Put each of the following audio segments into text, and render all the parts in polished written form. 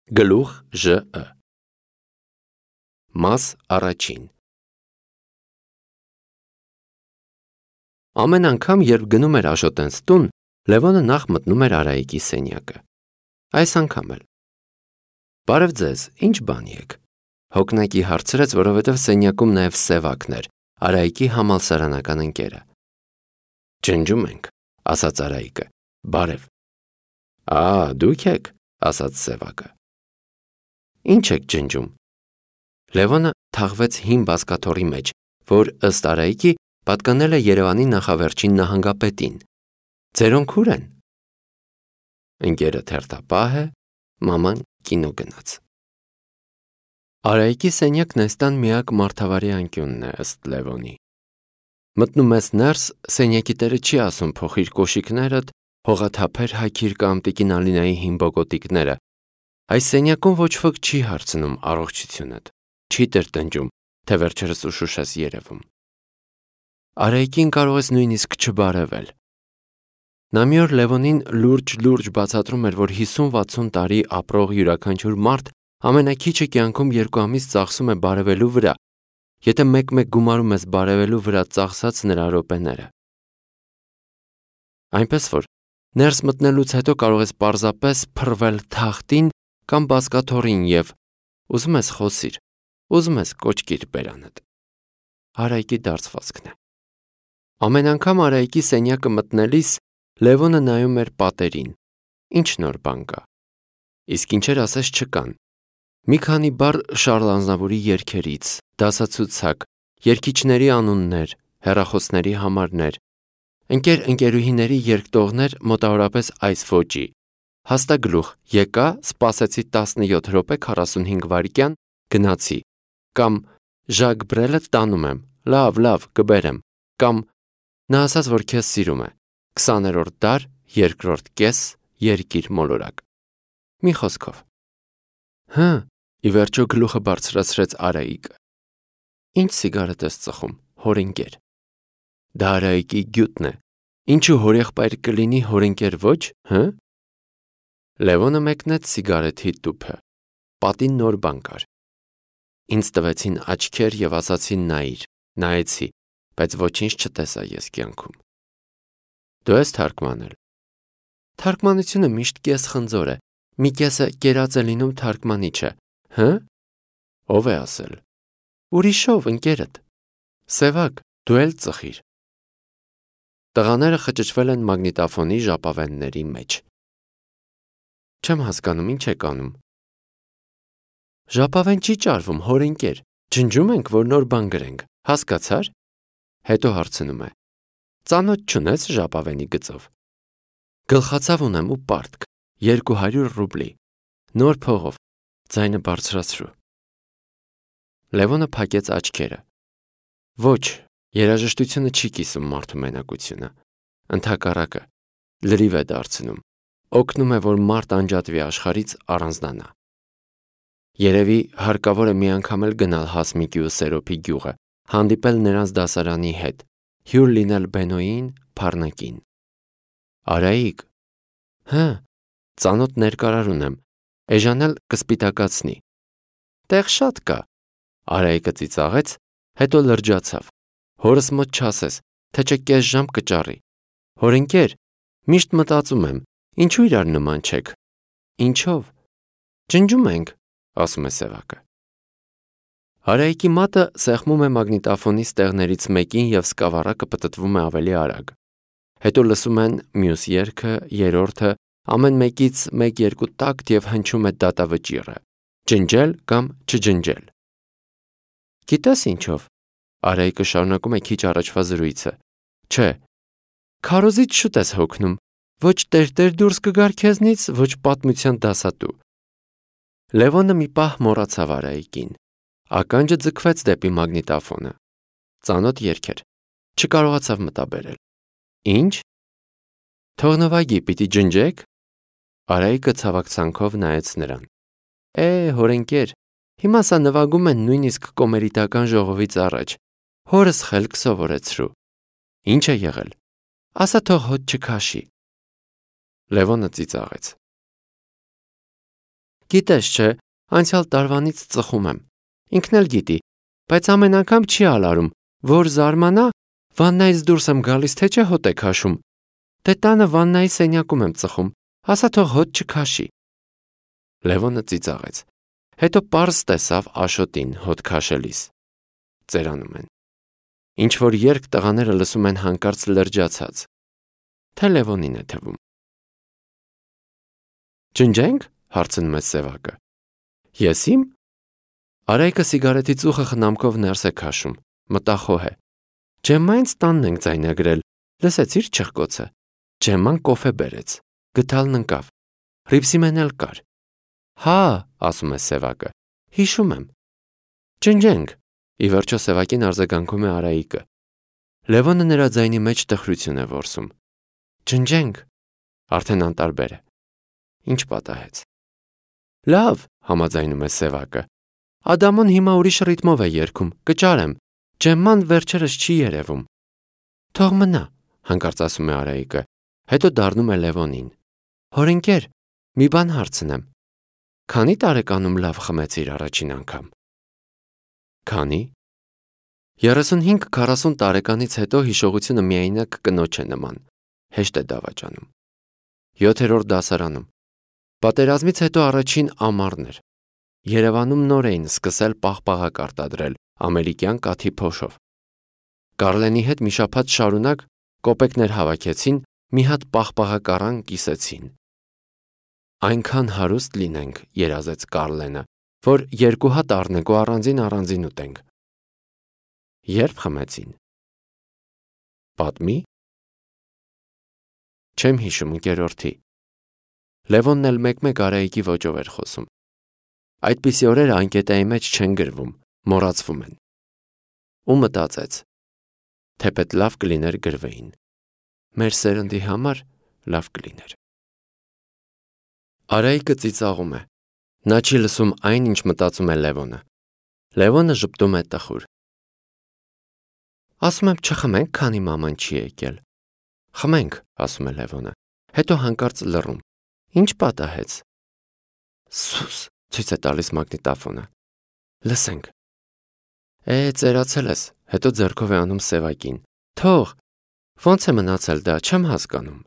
Գլուխ ԺԸ Մաս առաջին Ամեն անգամ, երբ գնում էր Աշոտենց տուն, Լևոնը նախ մտնում էր Արայիկի սենյակը։ Այս անգամ էլ։ Բարև ձեզ, ինչ բան եք։ Հոգնակի հարցրեց, որովհետև սենյակում նաև Սևակն էր, Արայիկի համալսարանական ընկերը։ Ջնջում ենք, ասաց Արայիկը։ Բարև։ Դուք եք, ասաց Սևակը։ Ինչ եք ջնջում։ Լևոնը թաղվեց հին բազկաթոռի մեջ, որ ըստ Արայիկի պատկանել է Երևանի նախավերջին նահանգապետին։ Ձերոնք ուր են։ Ընկերը թերթապահ է, մաման կինո գնաց։ Արայիկի սենյակն այս տան միակ մարդավարի անկյունն է ըստ Լևոնի։ Մտնում ես ներս, սենյակի տերը չի ասում փոխիր կոշիկներդ, հողաթափեր հագիր կամ տիկին Ալինայի հին բոկոտիկները։ Այս սենյակում ոչ ոք չի հարցնում առողջությունդ, չի տրտնջում, թե վերջերս ուշուշ ես երևում։ Արայիկին կարող ես նույնիսկ չբարևել։ Նա մի օր Լևոնին լուրջ բացատրում էր, որ 50-60 տարի ապրող յուրաքանչյուր մարդ ամենաքիչը կյանքում 2 ամիս ծախսում է բարևելու վրա, եթե մեկ-մեկ գումարում ես բարևելու վրա ծախսած նրա րոպեները։ Այնպես որ ներս մտնելուց հետո կարող ես պարզապես փռվել թախտին կամ բազկաթոռին և ուզում ես խոսիր, ուզում ես կոչկիր բերանդ։ Արայիկի դարձվածքն է։ Ամեն անգամ Արայիկի սենյակը մտնելիս Լևոնը նայում էր պատերին, ինչ նոր բան կա։ Իսկ ինչեր ասես չկան։ Մի քանի բառ Շարլ Ազնավուրի երգերից, դասացուցակ, երգիչների անուններ, հեռախոսների համարներ, ընկերուհիների երգտողներ մոտավորապես այս ոճի։ Հաստագլուխ, եկա, սպասեցի 17 րոպե 45 վայրկյան, գնացի, կամ Ժակ Բրելը տանում եմ, լավ, կբերեմ, կամ նա ասաց, որ քեզ սիրում է, 20-րդ դար, 2-րդ կես, երկիր մոլորակ։ Մի խոսքով։ Ի վերջո գլուխը բարձրացրեց Արայիկը։ Ինչ սիգարետ ես ծխում, հորընկեր։ Դա Արայիկի գյուտն է։ Ինչու հորեղբայր կլինի, հորընկեր ոչ, Լևոնը մեկնեց սիգարեթի տուփը։ Պատին նոր բան կար։ Ինձ տվեցին աչքեր և ասացին նայիր, նայեցի, բայց ոչինչ չտեսա ես կյանքում։ Դու ես թարգմանել։ Թարգմանությունը միշտ կես-խնձոր է, մի կեսը կերած է լինում թարգմանիչը, Ով է ասել։ Ուրիշով, ընկերդ։ Սևակ, դու էլ ծխիր։ Տղաները խճճվել են մագնիտոֆոնի ժապավենների մեջ։ Չեմ հասկանում, ինչ եք անում։ Ժապավեն չի ճարվում, հորընկեր, ջնջում ենք, որ նոր բան գրենք, հասկացար։ Հետո հարցնում է. Ծանոթ չունես ժապավենի գծով։ Գլխացավ ունեմ ու պարտք, 200 ռուբլի, նոր փողով, ձայնը բարձրացրու։ Լևոնը փակեց աչքերը։ Ոչ, երաժշտությունը չի կիսում մարդու մենակությունը, ընդհակառակը, լրիվ է դարձնում, օգնում է, որ մարդ անջատվի աշխարհից, առանձնանա։ Երևի հարկավոր է մի անգամ էլ գնալ Հասմիկի ու Սերոփի գյուղը, հանդիպել նրանց դասարանի հետ, հյուր լինել Բենոյին, Փառնակին։ Արայիկ։ Ծանոթ ներկարար ունեմ, էժանել կսպիտակացնի։ Տեղ շատ կա։ Արայիկը ծիծաղեց, հետո լրջացավ։ Հորս մոտ չասես, թե չէ կես ժամ կճարի։ Հորընկեր, միշտ մտածում եմ, ինչու իրար նման չեք։ Ինչով։ Ջնջում ենք, ասում է Սևակը։ Արայիկի մատը սեղմում է մագնիտոֆոնի ստեղներից մեկին և սկավառակը պտտվում է ավելի արագ։ Հետո լսում են մյուս երգը, երրորդը, ամեն մեկից 1-2 տակտ և հնչում է դատավճիռը։ Ջնջել կամ չջնջել։ Գիտես ինչով։ Արայիկը շարունակում է քիչ առաջվա զրույցը։ Չէ, քարոզից շուտ ես հոգնում, ոչ տերտեր դուրս կգար քեզնից, ոչ պատմության դասատու։ Լևոնը մի պահ մոռացավ Արայիկին։ Ականջը ձգվեց դեպի մագնիտոֆոնը։ Ծանոթ երգ էր։ Չկարողացավ մտաբերել։ Ինչ։ Թողնվագի պիտի ջնջեք։ Արայիկը ցավակցանքով նայեց նրան։ Հորընկեր, հիմա սա նվագում են նույնիսկ կոմերիտական ժողովից առաջ։ Հորս խելք սովորեցրու։ Ինչ է եղել։ Ասա թող հոտ չքաշի։ Լևոնը ծիծաղեց։ Գիտես չէ, անցյալ տարվանից ծխում եմ։ Ինքն էլ գիտի, բայց ամեն անգամ չի ալարում, որ զարմանա, վաննայից դուրս եմ գալիս, թե չէ հոտ է քաշում։ Դե տանը վաննայի սենյակում եմ ծխում, ասա թող հոտ չքաշի։ Լևոնը ծիծաղեց։ Հետո պարզ տեսավ Աշոտին հոտ քաշելիս։ Ծերանում են։ Ինչ որ երգ տղաները լսում են հանկարծ լրջացած։ Թե Լևոնին է թվում։ Ջնջենք, հարցնում է Սևակը։ Ես իմ։ Արայիկը սիգարետի ծուխը խնամքով ներս է քաշում, մտախոհ է։ Ջեմմային տանն ենք ձայնագրել, լսեցիր չխկոցը։ Ջեմման կոֆե բերեց, գդալն ընկավ, ռիփսիմեն էլ կար։ Հա, ասում է Սևակը, հիշում եմ։ Ջնջենք, ի վերջո Սևակին արձագանքում է Արայիկը։ Լևոնը նրա ձայնի մեջ տխրություն է որսում։ Ջնջենք, արդեն անտարբեր է։ Ինչ պատահեց։ Լավ, համաձայնում է Սևակը։ Ադամոն հիմա ուրիշ ռիթմով է երգում, կճարեմ, Ջեմման վերջերս չի երևում։ Թող մնա, հանկարծ ասում է Արայիկը, հետո դառնում է Լևոնին։ Հորընկեր, մի բան հարցնեմ։ Քանի տարեկանում լավ խմեցիր առաջին անգամ։ Քանի։ 35-40 տարեկանից հետո հիշողությունը միայնակ կնոջ է նման, հեշտ է դավաճանում։ 7-րդ դասարանում։ Պատերազմից հետո առաջին ամառն էր։ Երևանում նոր էին սկսել պաղպաղակ արտադրել ամերիկյան կաթի փոշով։ Կարլենի հետ մի շաբաթ շարունակ կոպեկներ հավաքեցին, մի հատ պաղպաղակառան կիսեցին։ Այնքան հարուստ լինենք, երազեց Կարլենը, որ 2 հատ առնենք ու առանձին ուտենք։ Երբ խմեցին։ Պատմի։ Չեմ հիշում ընկերորդի։ Լևոնն էլ մեկ-մեկ Արայիկի ոճով էր խոսում։ Այդպիսի օրերը անկետայի մեջ չեն գրվում, մոռացվում են։ Ու մտածեց, թեպետ լավ կլիներ գրվեին։ Մեր սերնդի համար լավ կլիներ։ Արայիկը ծիծաղում է։ Նա չի լսում այն, ինչ մտածում է Լևոնը։ Լևոնը ժպտում է տխուր։ Ասում եմ չխմենք, քանի մաման չի եկել։ Խմենք, ասում է Լևոնը, հետո հանկարծ լռում։ Ինչ պատահեց։ Սուս, ցույց է տալիս մագնիտոֆոնը։ Լսենք։ Ծերացել ես, հետո ձեռքով է անում Սևակին։ Թող, ոնց է մնացել դա, չեմ հասկանում։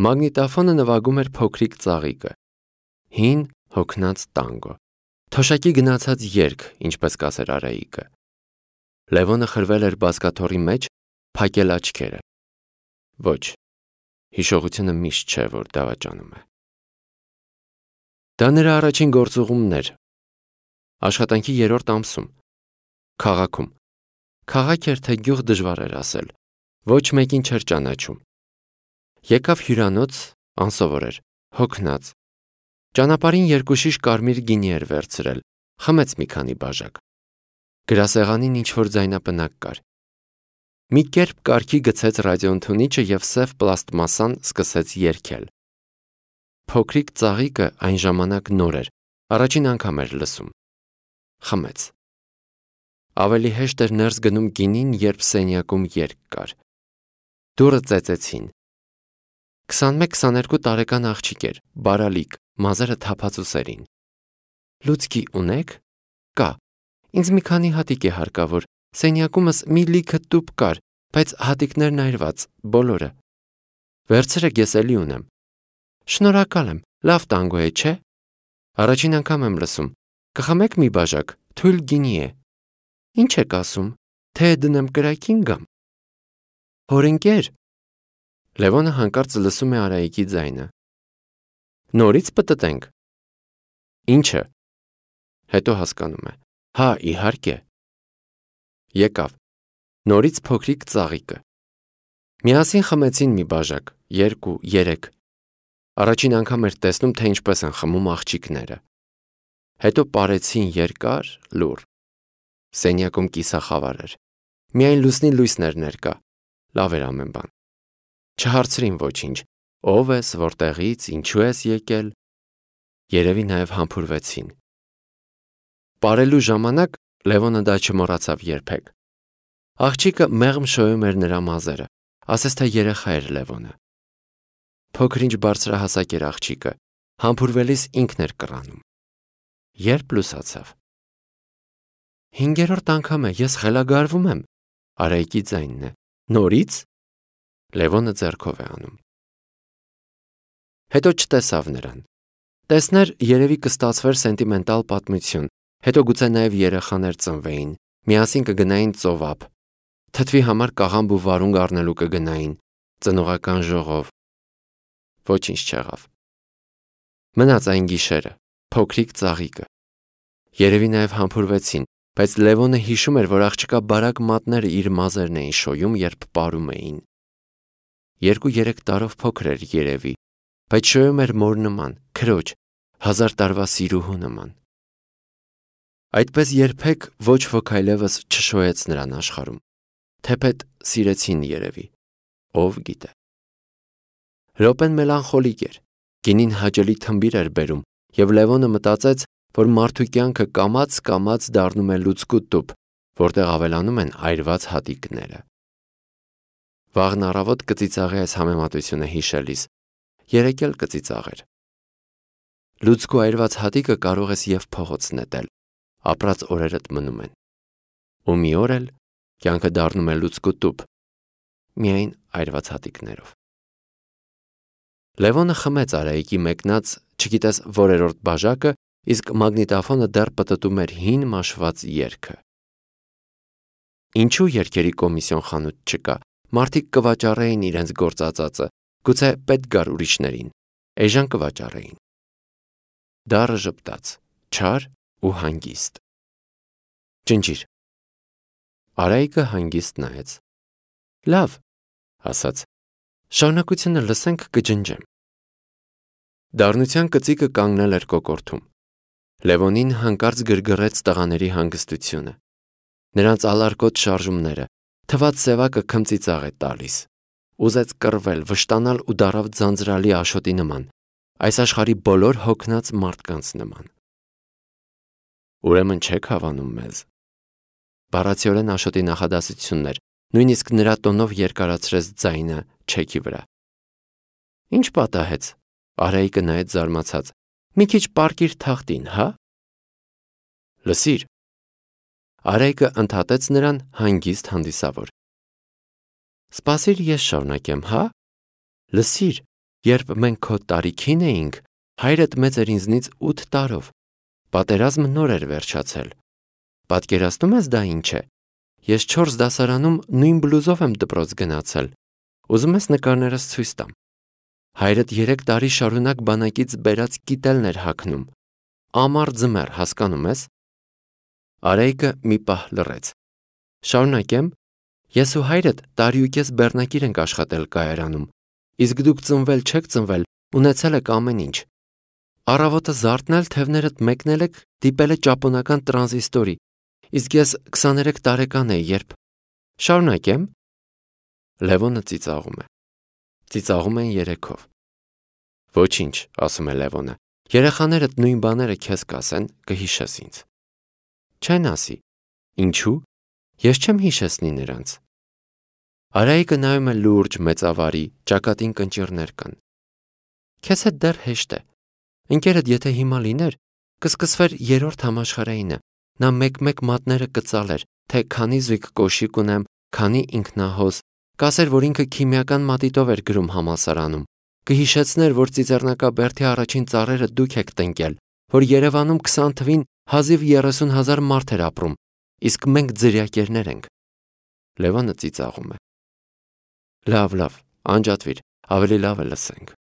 Մագնիտոֆոնը նվագում էր փոքրիկ ծաղիկը։ Հին հոգնած տանգո։ Թոշակի գնացած երգ, ինչպես կասեր Արայիկը։ Լևոնը խրվել էր բազկաթոռի մեջ, փակել աչքերը։ Ոչ, հիշողությունը միշտ չէ, որ դավաճանում է։ Դա նրա առաջին գործուղումն էր։ Աշխատանքի 3-րդ ամսում։ Քաղաքում։ Քաղաք էր, թե գյուղ դժվար էր ասել։ Ոչ մեկին չէր ճանաչում։ Եկավ հյուրանոց, անսովոր էր, հոգնած։ Ճանապարհին 2 շիշ կարմիր գինի էր վերցրել, խմեց մի քանի բաժակ։ Գրասեղանին ինչ-որ ձայնապնակ կար։ Մի կերպ կարգի գցեց ռադիոընդունիչը և սև պլաստմասան սկսեց երգել։ Փոքրիկ ծաղիկը այն ժամանակ նոր էր, առաջին անգամ էր լսում։ Խմեց։ Ավելի հեշտ էր ներս գնում գինին, երբ սենյակում երգ կար։ Դուռը ծեծեցին։ 21-22 տարեկան աղջիկ էր, բարալիկ, մազերը թափածուսերին։ Լուցկի ունեք։ Կա։ Ինձ մի քանի հատիկ է հարկավոր, սենյակումս մի լիքը տուփ կար, բայց հատիկներն այրված, բոլորը։ Վերցրեք, ես էլի ունեմ։ Շնորհակալ եմ, լավ տանգո է, չէ։ Առաջին անգամ եմ լսում։ Կխմեք մի բաժակ, թույլ գինի է։ Ինչ եք ասում, թե դնեմ կրակին գամ։ Հորընկեր։ Լևոնը հանկարծ լսում է Արայիկի ձայնը։ Նորից պտտենք։ Ինչը։ Հետո հասկանում է։ Հա, իհարկե։ Եկավ։ Նորից փոքրիկ ծաղիկը։ Միասին խմեցին մի բաժակ, 2, 3։ Առաջին անգամ էր տեսնում, թե ինչպես են խմում աղջիկները։ Հետո պարեցին երկար, լուռ։ Սենյակում կիսախավար էր։ Միայն լուսնի լույսներ ներկա։ Լավ էր ամեն բան։ Չհարցրին ոչինչ։ Ով ես, որտեղից, ինչու ես եկել։ Երևի նաև համբուրվեցին։ Պարելու ժամանակ Լևոնը դա չմոռացավ երբեք։ Աղջիկը մեղմ շոյում էր նրա մազերը, ասես թե երեխա էր Լևոնը։ Փոքր-ինչ բարձրահասակ էր աղջիկը, Համբուրվելիս ինքն էր կռանում։ Երբ լուսացավ։ 5-րդ անգամ է, ես խելագարվում եմ, Արայիկի ձայնն է։ Նորից։ Լևոնը ձեռքով է անում։ Հետո չտեսավ նրան։ Տեսներ, երևի կստացվեր սենտիմենտալ պատմություն, հետո գուցե նաև երեխաներ ծնվեին, միասին կգնային ծովափ, թթվի համար կաղամբ ու վարունգ առնելու կգնային, ծնողական ժողով։ Ոչինչ չեղավ։ Մնաց այն գիշերը, փոքրիկ ծաղիկը։ Երևի նաև համբուրվեցին, բայց Լևոնը հիշում էր, որ աղջկա բարակ մատները իր մազերն էին շոյում, երբ պարում էին։ 2-3 տարով փոքր էր երևի, բայց շոյում էր մոր նման, քրոջ, 1000 տարվա սիրուհու նման։ Այդպես երբեք ոչ ոք այլևս չշոյեց նրան աշխարհում, թեպետ սիրեցին երևի, ով գիտե։ Ռոպեն մելանխոլիկ էր, գինին հաճելի թմբիր էր բերում, և Լևոնը մտածեց, որ մարդու կյանքը կամաց դառնում է լուցկու տուփ, որտեղ ավելանում են այրված հատիկները։ Վաղն առավոտ կծիծաղի այս համեմատությունը հիշելիս, երեկ էլ կծիծաղեր։ Լուցկու այրված հատիկը կարող ես և փողոց նետել, ապրած օրերդ մնում են։ Ու մի օր էլ կյանքը դառնում է լուցկու տուփ, միայն այրված հատիկներով։ Լևոնը խմեց Արայիկի մեկնած, չգիտես որերորդ բաժակը, իսկ մագնիտոֆոնը դեռ պտտում էր հին մաշված երգը։ Ինչու երգերի կոմիսիոն խանութ չկա, մարդիկ կվաճառեին իրենց գործածածը, գուցե պետք գար ուրիշներին, էժան կվաճառեին։ Դառը ժպտաց, չար ու հանգիստ։ Ջնջիր։ Արայիկը հանգիստ նայեց։ Լավ, ասաց, շարունակությունը լսենք կջնջեմ։ Դառնության կծիկը կանգնել էր կոկորդում։ Լևոնին հանկարծ գրգռեց տղաների հանգստությունը։ Նրանց ալարկոտ շարժումները, թված սևակը քմծիծաղ է տալիս։ Ուզեց կռվել, վշտանալ ու դառավ ձանձրալի աշոտի նման, այս աշխարհի բոլոր հոգնած մարդկանց նման։ Ուրեմն չեք հավանում մեզ։ Բառացիորեն աշոտի նախադասությունն էր, նույնիսկ նրա տոնով երկարացրեց ձայնը չեքի վրա։ Ինչ պատահեց։ Արայիկը նայեց զարմացած։ Մի քիչ պառկիր թախտին, հա։ Լսիր։ Արայիկը ընդհատեց նրան հանգիստ հանդիսավոր։ Սպասիր, ես շարունակեմ, հա։ Լսիր, երբ մենք քո տարիքին էինք, հայրդ մեծ էր ինձնից 8 տարով։ Պատերազմը նոր էր վերջացել։ Պատկերացնում ես դա ինչ է։ Ես 4 դասարանում նույն բլուզով եմ դպրոց գնացել։ Ուզում ես նկարներս ցույց տամ։ Հայրդ 3 տարի շարունակ բանակից բերած կիտելն էր հագնում։ Ամառ ձմեռ, հասկանում ես։ Արայիկը մի պահ լռեց։ Շարունակեմ։ Ես ու հայրդ տարիուկես բեռնակիր ենք աշխատել կայարանում, իսկ դուք ծնվել չեք ծնվել, ունեցել եք ամեն ինչ։ Առավոտը զարթնել, թևներդ մեկնել եք, դիպել է ճապոնական տրանզիստորի, իսկ ես 23 տարեկան էի, երբ… Շարունակեմ։ Լևոնը ծիծաղում է։ Ծիծաղում են երեքով։ Ոչինչ, ասում է Լևոնը, երեխաներդ նույն բաները քեզ կասեն, կհիշես ինձ։ Չեն ասի։ Ինչու։ Ես չեմ հիշեցնի նրանց։ Արայիկը նայում է լուրջ, մեծավարի, ճակատին կնճիռներ կան։ Քեզ հետ դեռ հեշտ է։ Ընկերդ եթե հիմա լիներ, կսկսվեր 3-րդ համաշխարհայինը, նա մեկ-մեկ մատները կծալեր, թե քանի զույգ կոշիկ ունեմ, քանի ինքնահոս, կասեր, որ ինքը քիմիական մատիտով էր գրում համալսարանում, կհիշեցներ, որ ծիծեռնակաբերդի առաջին ծառերը դուք եք տնկել, որ Երևանում 20 թվին հազիվ 30,000 մարդ էր ապրում, իսկ մենք ձրիակերներ ենք։ Լևոնը ծիծաղում է։ Լավ, անջատվիր, ավելի լավ է լսենք։